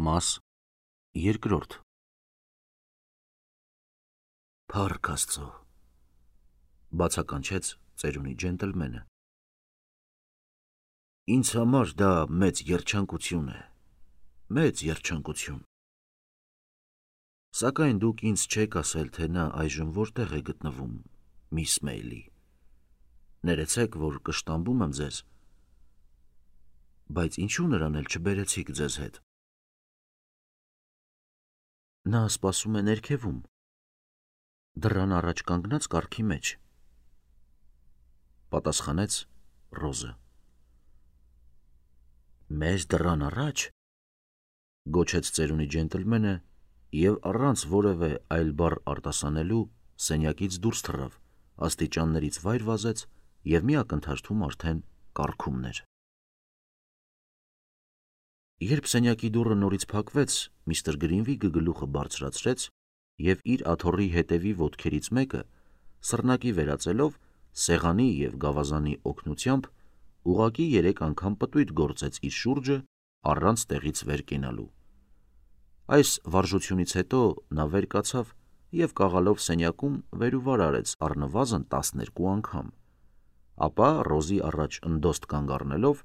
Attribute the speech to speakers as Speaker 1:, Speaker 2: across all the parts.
Speaker 1: Մաս երկրորդ Փառք Աստծո, բացականչեց ծերունի ջենտլմենը։ Ինձ համար դա մեծ երջանկություն է, մեծ երջանկություն։ Սակայն դուք ինձ չեք ասել, թե նա այժմ որտեղ է գտնվում, միս Մեյլի։ Ներեցեք, որ կշտամբում եմ ձեզ, բայց ինչու նրան էլ չբերեցիք ձեզ հետ։ Նա սպասում է ներքևում, դռան առաջ կանգնած կառքի մեջ, պատասխանեց Ռոզը։ Մեզ դռան առաջ, գոչեց ծերունի ջենտլմենը և առանց որևէ այլ բառ արտասանելու սենյակից դուրս թռավ, աստիճաններից վայր վազեց և մի ակնթարթում արդեն կառքումն էր։ Երբ սենյակի դուռը նորից փակվեց, միստր Գրինվիգը գլուխը բարձրացրեց և իր աթոռի հետևի ոտքերից մեկը սռնակի վերածելով սեղանի և գավազանի օգնությամբ ուղղակի 3 անգամ պտույտ գործեց իր շուրջը առանց տեղից վեր կենալու։ Այս վարժությունից հետո նա վեր կացավ և կաղալով սենյակում վեր ու վար արեց առնվազն 12 անգամ, ապա Ռոզի առաջ ընդոստ կանգ առնելով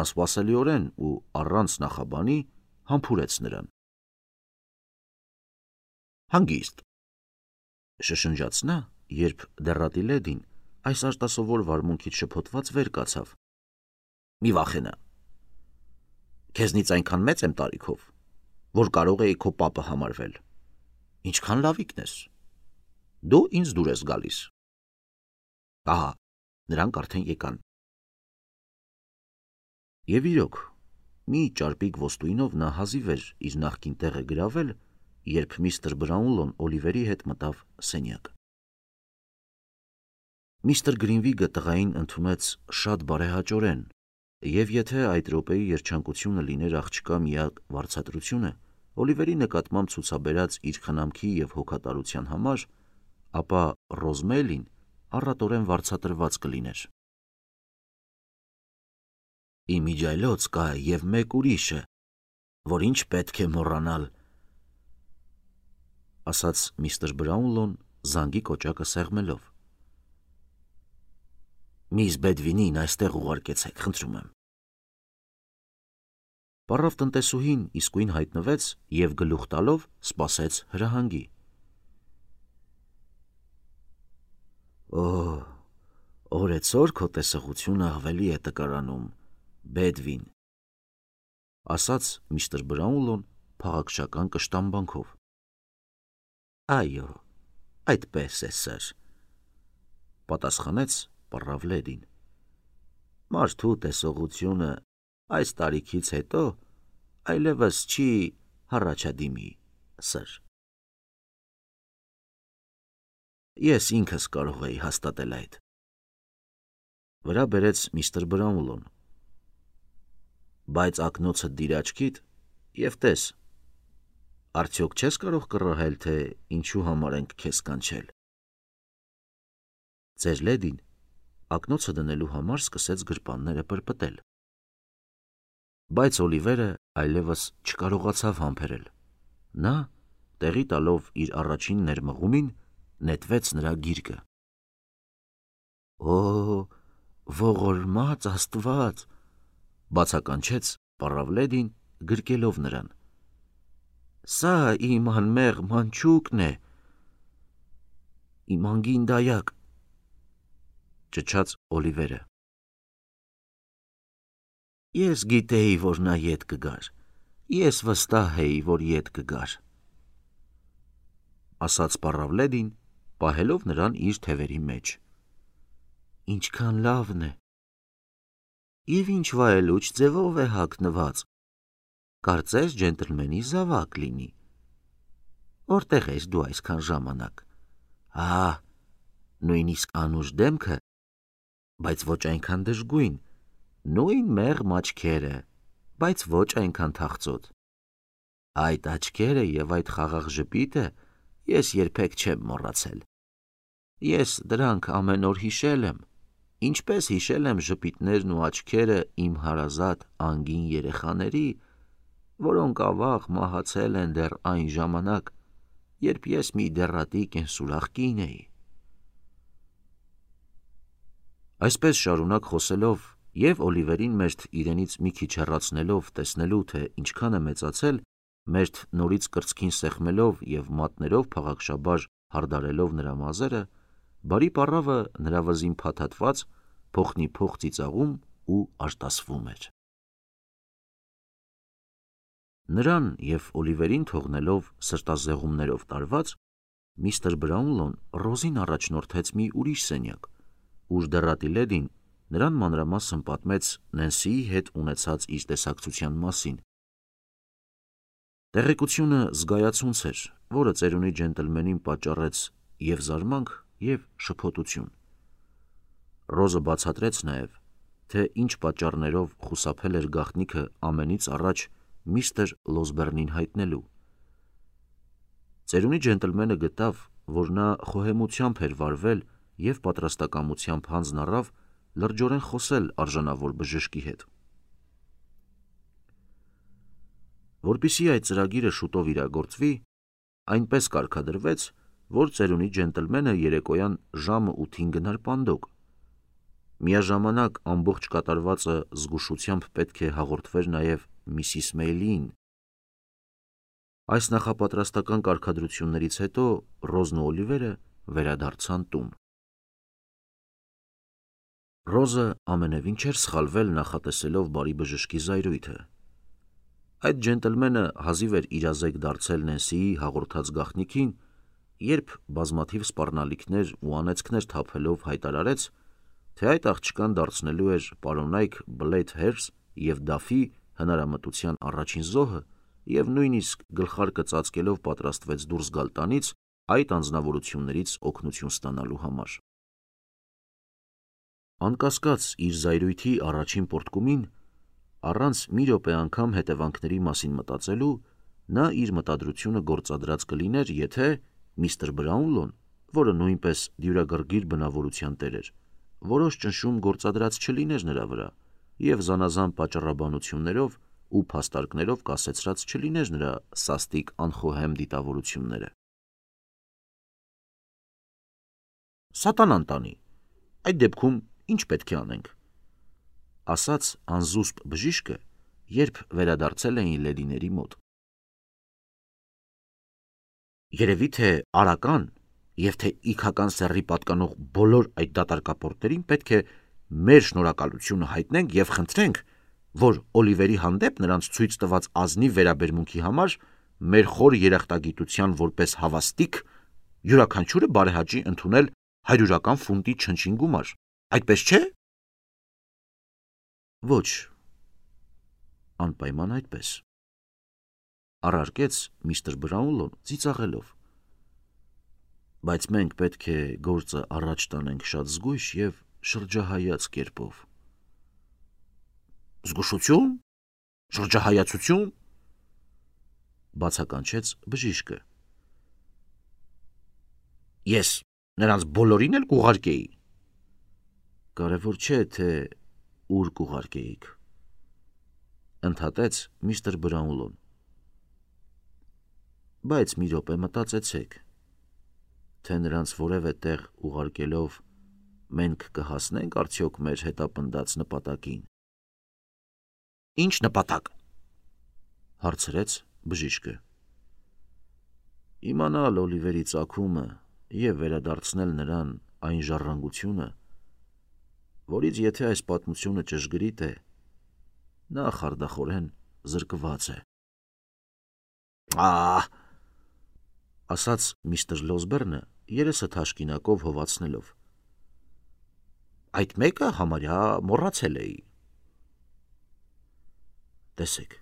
Speaker 1: անսպասելիորեն ու առանց նախաբանի համբուրեց նրան։ Հանգիստ, շշնջաց նա, երբ դեռատի լեդին այս արտասովոր վարմունքից շփոթված վեր կացավ։ Մի վախենա, քեզնից այնքան մեծ եմ տարիքով, որ կարող էի քո պապը համարվել, ինչքան լավիկն ես, դու ինձ դուր ես գալիս։ Ահա, նրանք արդեն եկան։ Եվ իրոք, մի ճարպիկ ոսტույնով նա հազիվ էր իր նախկին տեղը գրավել, երբ միստր Բրաունլոն Օլիվերի հետ մտավ սենյակ։ Միստր Գրինվիգը տղային ընդունեց շատ բարեհաճորեն, և եթե այդ րոպեի երջանկությունը լիներ աղջկա միակ վարձատրությունը Օլիվերի նկատմամբ ցուցաբերած իր խնամքի և հոգատարության համար, ապա Ռոզմեյլին առատորեն վարձատրված կլիներ։ Իմ իջայլոց կա և մեկ ուրիշը, որ ինչ պետք է մոռանալ, ասաց միստր Բրաունլոն զանգի կոճակը սեղմելով։ Միss Բեդվինին այստեղ ուղարկեցեք, խնդրում եմ։ Պառավ տնտեսուհին իսկույն հայտնվեց և գլուխ տալով սպասեց հրահանգի։ Օ, օրեցօր քո տեսողությունը ավելի է տկարանում, Բեդվին, ասաց միստր Բրաունլոն փաղաքշական կշտամբանքով։ Այո, այդպես է, սըր, պատասխանեց պառավ լեդին։ Մարդու տեսողությունը այս տարիքից հետո այլևս չի հառաջադիմի, սըր։ Ես ինքս կարող էի հաստատել այդ, վրա բերեց միստր Բրաունլոն։ Բայց ակնոցդ դիր աչքիդ և տես, արդյոք չես կարող կռահել, թե ինչու համար ենք քեզ կանչել։ Ձեր լեդին ակնոցը դնելու համար սկսեց գրպանները պրպտել։ Բայց Օլիվերը այլևս չկարողացավ համբերել։ Նա, տեղի տալով իր առաջին ներմղումին, նետվեց նրա գիրկը։ Օ, ողորմած Աստված, բացականչեց պառավ լեդին, գրկելով նրան։ Սա իմ անմեղ մանչուկն է, իմ անգին դայակ, ճչաց Օլիվերը։ Ես գիտեի, որ նա ետ կգար, ես վստահ էի, որ ետ կգար, ասաց պառավ լեդին, պահելով նրան իր թևերի մեջ։ Ինչքան լավն է։ Եվ ինչ վայելուչ ձևով է հագնված, կարծես ջենտլմենի զավակ լինի։ Որտեղ ես դու այսքան ժամանակ։ Նույնիսկ անուշ դեմքը, բայց ոչ այնքան դժգույն, նույն մեղմ աչքերը, բայց ոչ այնքան թախծոտ։ Այդ աչքերը և այդ խաղաղ ժպիտը ես երբեք չեմ մոռացել։ Ես դրանք ամեն օր հիշել եմ, ինչպես հիշել եմ ժպիտներն ու աչքերը իմ հարազատ անգին երեխաների, որոնք ավաղ մահացել են դեռ այն ժամանակ, երբ ես մի դեռատի կենսուրախ կին էի։ Այսպես շարունակ խոսելով և Օլիվերին մերթ իրենից մի քիչ հեռացնելով տեսնելու, թե ինչքան է մեծացել, մերթ նորից կրծքին սեղմելով և մատներով փաղաքշաբար հարդարելով նրա մազերը, բարի պառավը նրա վզին փաթաթված, փոխնի փոխ ծիծաղում ու արտասվում էր։ Նրան և Օլիվերին թողնելով սրտազեղումներով տարված, միստր Բրաունլոն Ռոզին առաջնորդեց մի ուրիշ սենյակ, ուր դեռատի լեդին նրան մանրամասն պատմեց Նենսիի հետ ունեցած իր տեսակցության մասին։ Տեղեկությունը զգայացունց էր, որը ծերունի ջենտլմենին պատճառեց և զարմանք, և շփոթություն։ Ռոզը բացատրեց նաև, թե ինչ պատճառներով խուսափել էր գաղտնիքը ամենից առաջ միստր Լոսբեռնին հայտնելու։ Ծերունի ջենտլմենը գտավ, որ նա խոհեմությամբ էր վարվել և պատրաստակամությամբ հանձն առավ լրջորեն խոսել արժանավոր բժշկի հետ։ Որպեսզի այդ ծրագիրը շուտով իրագործվի, այնպես կարգադրվեց, որ ծերունի ջենտլմենը երեկոյան ժամը 8-ին գնար պանդոկ։ Միաժամանակ ամբողջ կատարվածը զգուշությամբ պետք է հաղորդվեր նաև Միսիս Մեյլիին։ Այս նախապատրաստական կարգադրություններից հետո Ռոզն ու Օլիվերը վերադարձան տուն։ Ռոզը ամենևին չէր սխալվել նախատեսելով բարի բժշկի զայրույթը։ Այդ ջենտլմենը հազիվ էր իրազեկ դարձել Նենսիի հաղորդած գաղտնիքին, երբ բազմաթիվ սպառնալիքներ ու անեծքներ թափելով հայտարարեց, թե այդ աղջկան դարձնելու էր պարոնայք Բլեյթհերզ և Դաֆի հնարամտության առաջին զոհը և նույնիսկ գլխարկը ծածկելով պատրաստվեց դուրս գալ տանից այդ անձնավորություններից օգնություն ստանալու համար։ Անկասկած իր զայրույթի առաջին պոռթկումին, առանց մի րոպե անգամ հետևանքների մասին մտածելու, նա իր մտադրությունը գործադրած կլիներ, եթե միստր Բրաունլոն, որը նույնպես դյուրագրգիռ բնավորության տեր էր, որոշ ճնշում գործադրած չլիներ նրա վրա և զանազան պատճառաբանություններով ու փաստարկներով կասեցրած չլիներ նրա սաստիկ անխոհեմ դիտավորությունները։ Սատանան տանի, այդ դեպքում ինչ պետք է անենք, ասաց անզուսպ բժիշկը, երբ վերադարձել էին լեդիների մոտ։ Երևի թե արական և թե իգական սեռի պատկանող բոլոր այդ դատարկապորտներին պետք է մեր շնորհակալությունը հայտնենք և խնդրենք, որ Օլիվերի հանդեպ նրանց ցույց տված ազնիվ վերաբերմունքի համար մեր խոր երախտագիտության որպես հավաստիք յուրաքանչյուրը բարեհաճի ընդունել 100 ֆունտի չնչին գումար, այդպես չէ՞։ Ոչ, անպայման այդպես, առարկեց միստր Բրաունլոն ծիծաղելով, բայց մենք պետք է գործը առաջ տանենք շատ զգույշ և շրջահայաց կերպով։ Զգուշություն, շրջահայացություն, բացականչեց բժիշկը։ Ես նրանց բոլորին էլ կուղարկեի։ Կարևոր չէ, թե ուր կուղարկեիք, ընդհատեց միստր Բրաունլոն։ Բայց մի րոպե մտածեցեք, թե նրանց որևէ տեղ ուղարկելով մենք կհասնենք արդյոք մեր հետապնդած նպատակին։ Ինչ նպատակ, հարցրեց բժիշկը։ Իմանալ Օլիվերի ծագումը և վերադարձնել նրան այն ժառանգությունը, որից եթե այս պատմությունը ճշգրիտ է, նա խարդախորեն զրկված է։ Ահ, ասաց միստր Լոսբեռնը երեսը թաշկինակով հովացնելով։ Այդ մեկը համարյա մոռացել էի։ Տեսեք,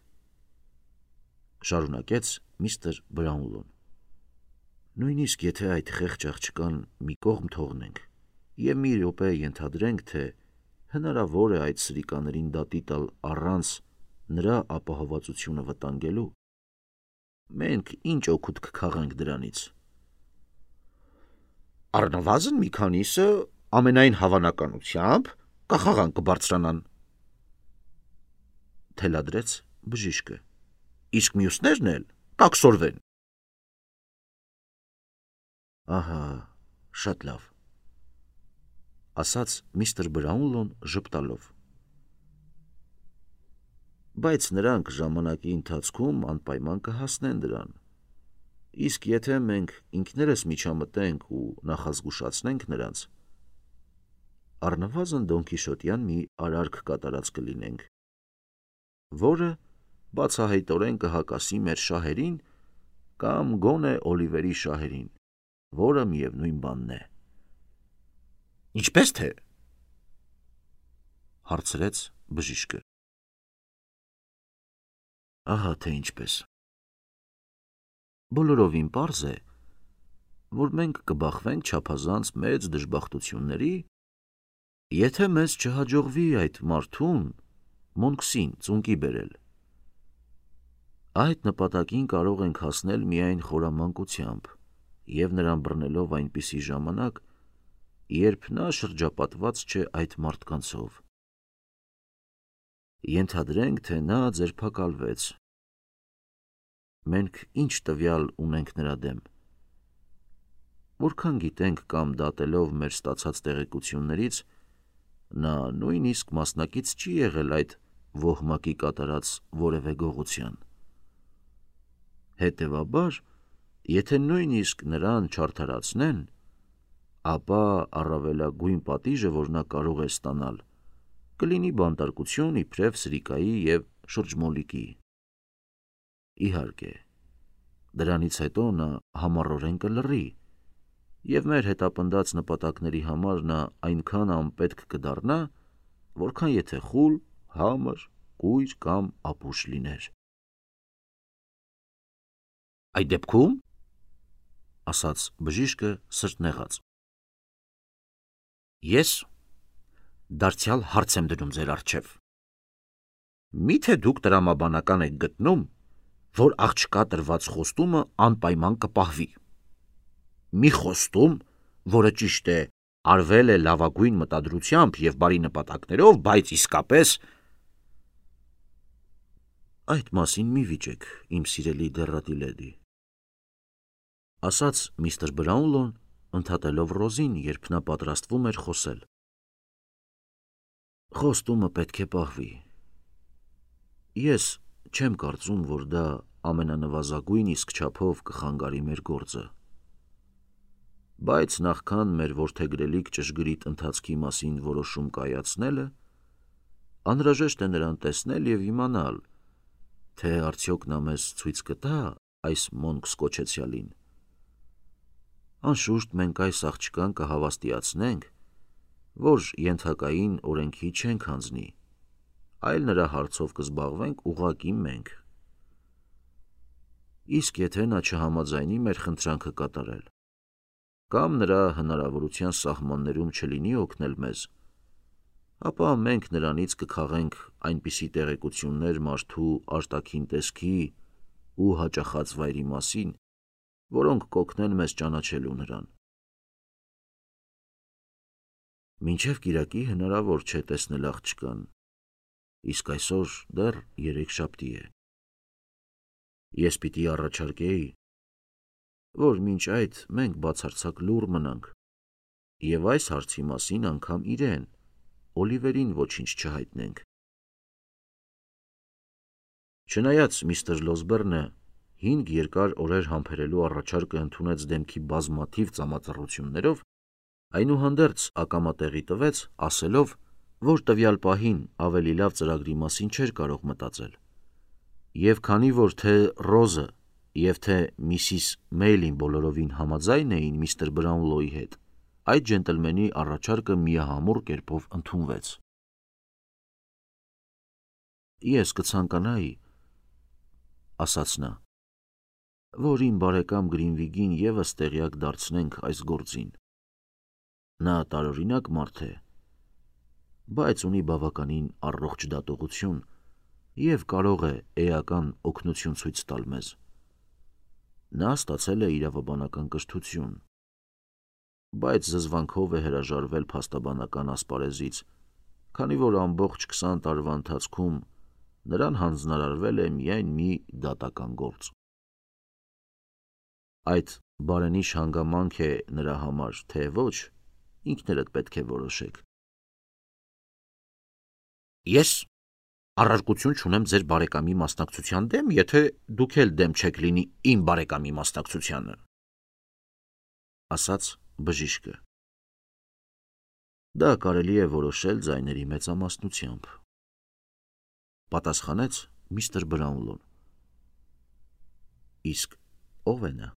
Speaker 1: շարունակեց միստր Բրաունլոն, նույնիսկ եթե այդ խեղճ աղջկան մի կողմ թողնենք և մի րոպե ենթադրենք, թե հնարավոր է այդ սրիկաներին դատի տալ առանց նրա ապահովվածությունը վտանգելու, մենք ինչ օգուտ կքաղենք դրանից։ Առնվազն մի քանիսը ամենայն հավանականությամբ կախաղան կբարձրանան, թելադրեց բժիշկը։ իսկ մյուսներն էլ կաքսորվեն։ Ահա, շատ լավ, ասաց միստր Բրաունլոն ժպտալով։ Բայց նրանք ժամանակի ընթացքում անպայման կհասնեն դրան։ Իսկ եթե մենք ինքներս միջամտենք ու նախազգուշացնենք նրանց, առնվազն Դոն Քիշոտյան մի արարք կատարած կլինենք, որը բացահայտորեն կհակասի մեր շահերին կամ գոնե Օլիվերի շահերին, որը միևնույն բանն է։ Ինչպես թե, հարցրեց բժիշկը։ Ահա թե ինչպես։ Բոլորովին պարզ է, որ մենք կբախվենք չափազանց մեծ դժբախտությունների, եթե մեզ չհաջողվի այդ մարդուն Մոնքսին ծունկի բերել։ Այդ նպատակին կարող ենք հասնել միայն խորամանկությամբ և նրան բռնելով այնպիսի ժամանակ, երբ նա շրջապատված չէ այդ մարդկանցով։ Ենթադրենք, թե նա ձերբակալվեց։ Մենք ինչ տվյալ ունենք նրա դեմ։ Որքան գիտենք կամ դատելով մեր ստացած տեղեկություններից, նա նույնիսկ մասնակից չի եղել այդ ոհմակի կատարած որևէ գողության։ Հետևաբար, եթե նույնիսկ նրան չարդարացնեն, ապա առավելագույն պատիժը, որ նա կարող է ստանալ, կլինի բանտարկություն իբրև Սրիկայի և շրջմոլիկի։ Իհարկե, դրանից հետո նա համառորեն կլռի, և մեր հետապնդած նպատակների համար նա այնքան անպետք կդառնա, որքան եթե խուլ, համր, կույր կամ ապուշ լիներ։ Այդ դեպքում, ասաց բժիշկը սրտնեղած, ես դարձյալ հարց եմ դնում ձեր առջև։ Միթե դուք տրամաբանական եք գտնում, որ աղջկա տրված խոստումը անպայման կպահվի։ Մի խոստում, որը ճիշտ է, արվել է լավագույն մտադրությամբ և բարի նպատակներով, բայց իսկապես… Այդ մասին մի վիճեք, իմ սիրելի դեռատի լեդի, ասաց միստր Բրաունլոն, ընդհատելով Ռոզին, երբ նա պատրաստվում էր խոսել։ Խոստումը պետք է պահվի։ Ես չեմ կարծում, որ դա ամենանվազագույն իսկ չափով կխանգարի մեր գործը։ Բայց նախքան մեր որդեգրելիք ճշգրիտ ընթացքի մասին որոշում կայացնելը, անհրաժեշտ է նրան տեսնել և իմանալ, թե արդյոք նա մեզ ցույց կտա այս Մոնքս կոչեցյալին։ Անշուշտ մենք այս աղջկան կհավաստիացնենք, որ ենթակային օրենքի չենք հանձնի, այլ նրա հարցով կզբաղվենք ուղղակի մենք։ Իսկ եթե նա չհամաձայնի մեր խնդրանքը կատարել, կամ նրա հնարավորության սահմաններում չլինի օգնել մեզ, ապա մենք նրանից կքաղենք այնպիսի տեղեկություններ մարդու արտաքին տեսքի ու հաճախած վայրի մասին, որոնք կօգնեն մեզ ճանաչելու նրան։ Մինչև կիրակի հնարավոր չէ տեսնել աղջկան, իսկ այսօր դեռ երեքշաբթի է։ Ես պիտի առաջարկեի, որ մինչ այդ մենք բացարձակ լուռ մնանք և այս հարցի մասին անգամ իրեն, Օլիվերին ոչինչ չհայտնենք։ Չնայած միստր Լոսբերնը 5 երկար օրեր համբերելու առաջարկը ընդունեց դեմքի բազմաթիվ ծամածռություններով, այնուհանդերձ ակամա տեղի տվեց, ասելով, որ տվյալ պահին ավելի լավ ծրագրի մասին չէր կարող մտածել, և քանի որ թե Ռոզը և թե Միսիս Մեյլին բոլորովին համաձայն էին միստր Բրաունլոյի հետ, այդ ջենտլմենի առաջարկը միահամուռ կերպով ընդունվեց։ Ես կցանկանայի, ասաց նա, որ իմ բարեկամ Գրինվիգին ևս տեղյակ դարձնենք այս գործին։ Նա տարօրինակ մարդ է, բայց ունի բավականին առողջ դատողություն և կարող է էական օգնություն ցույց տալ մեզ։ Նա ստացել է իրավաբանական կրթություն, բայց զզվանքով է հրաժարվել փաստաբանական ասպարեզից, քանի որ ամբողջ 20 տարվա ընթացքում նրան հանձնարարվել է միայն մի դատական գործ։ Այդ բարենիշ հանգամանք է նրա համար, թե ոչ, ինքներդ պետք է որոշեք։ Ես առարկություն չունեմ ձեր բարեկամի մասնակցության դեմ, եթե դուք էլ դեմ չեք լինի իմ բարեկամի մասնակցությանը, ասաց բժիշկը։ Դա կարելի է որոշել ձայների մեծամասնությամբ, պատասխանեց միստր Բրաունլոն։ Իսկ ով է նա։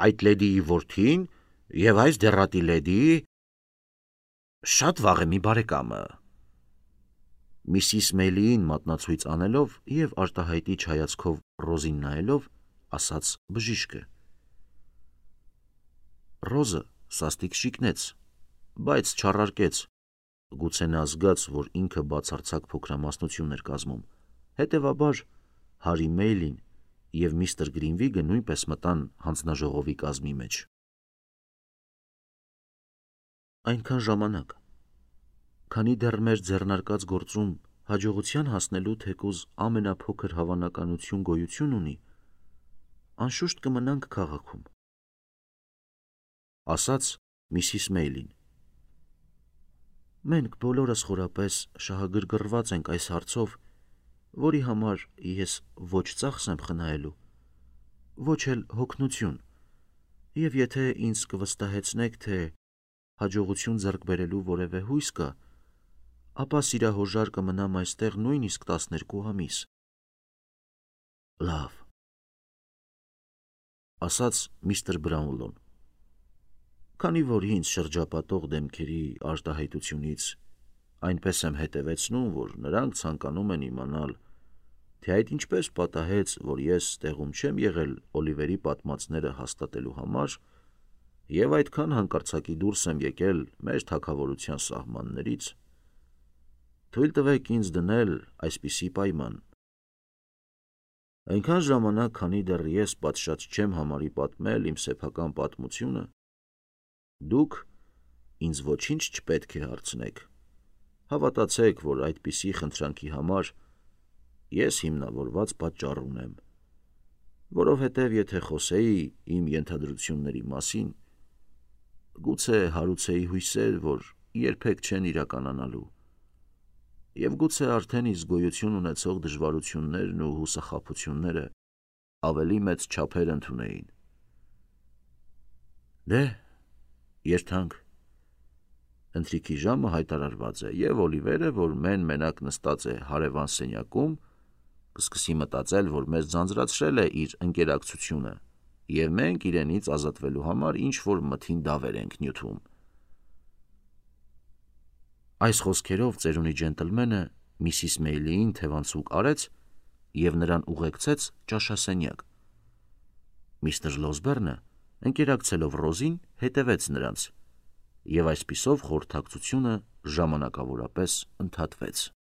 Speaker 1: Այդ լեդիի որդին եւ այս դեռատի լեդիի շատ վաղեմի բարեկամը։ Միսիս Մեյլիին մատնացույց անելով եւ արտահայտիչ հայացքով Ռոզին նայելով, ասաց բժիշկը։ Ռոզը սաստիկ շիկնեց, բայց չառարկեց, գուցե նա զգաց, որ ինքը բացարձակ փոքրամասնություն էր կազմում, հետևաբար Հարի Մեյլին եւ միստր Գրինվիգը նույնպես մտան հանձնաժողովի կազմի մեջ։ Այնքան ժամանակ, քանի դեռ մեր ձեռնարկած գործում հաջողության հասնելու թեկուզ ամենափոքր հավանականություն գոյություն ունի, անշուշտ կմնանք քաղաքում, ասաց Միսիս Մեյլին։ Մենք բոլորս խորապես շահագրգռված ենք այս հարցով, որի համար ես ոչ ծախս եմ խնայելու, ոչ էլ հոգնություն, եւ եթե ինձ կվստահեցնեք, թե հաջողություն ձեռք բերելու որևէ հույս կա, ապա սիրահորժար կմնամ այստեղ նույնիսկ 12 ամիս։ Լավ, ասաց միստր Բրաունլոն, քանի որ ինձ շրջապատող դեմքերի արտահայտությունից այնպես եմ հետևեցնում, որ նրանք ցանկանում են իմանալ, թե այդ ինչպես պատահեց, որ ես տեղում չեմ եղել Օլիվերի պատմածները հաստատելու համար եւ այդքան հանկարծակի դուրս եմ եկել մեր թագավորության սահմաններից, թույլ տվեք ինձ դնել այսպիսի պայման. այնքան ժամանակ, քանի դեռ ես պատշաճ չեմ համարի պատմել իմ սեփական պատմությունը, դուք ինձ ոչինչ չպետք է հարցնեք, հավատացեք, որ այդպիսի խնդրանքի համար ես հիմնավորված պատճառ ունեմ, որովհետև եթե խոսեի իմ ենթադրությունների մասին, գուցե հարուցեի հույսեր, որ երբեք չեն իրականանալու, եւ գուցե արդեն իսկ գոյություն ունեցող դժվարություններն ու հուսախաբությունները ավելի մեծ չափեր ընդունեին։ Դե, երթանք։ Ընթրիքի ժամը հայտարարված է, եւ Օլիվերը, որ մենակ նստած է հարևան սենյակում, կսկսի մտածել, որ մեզ ձանձրացրել է իր ընկերակցությունը, եւ մենք իրենից ազատվելու համար ինչ-որ մթին դավեր ենք նյութում։ Այս խոսքերով ծերունի ջենտլմենը Միսիս Մեյլիին թևանցուկ արեց եւ նրան ուղեկցեց ճաշասենյակ։ Միստր Լոսբերնը, ընկերակցելով Ռոզին, հետևեց նրանց, եւ այսպիսով խորհրդակցությունը ժամանակավորապես ընդհատվեց։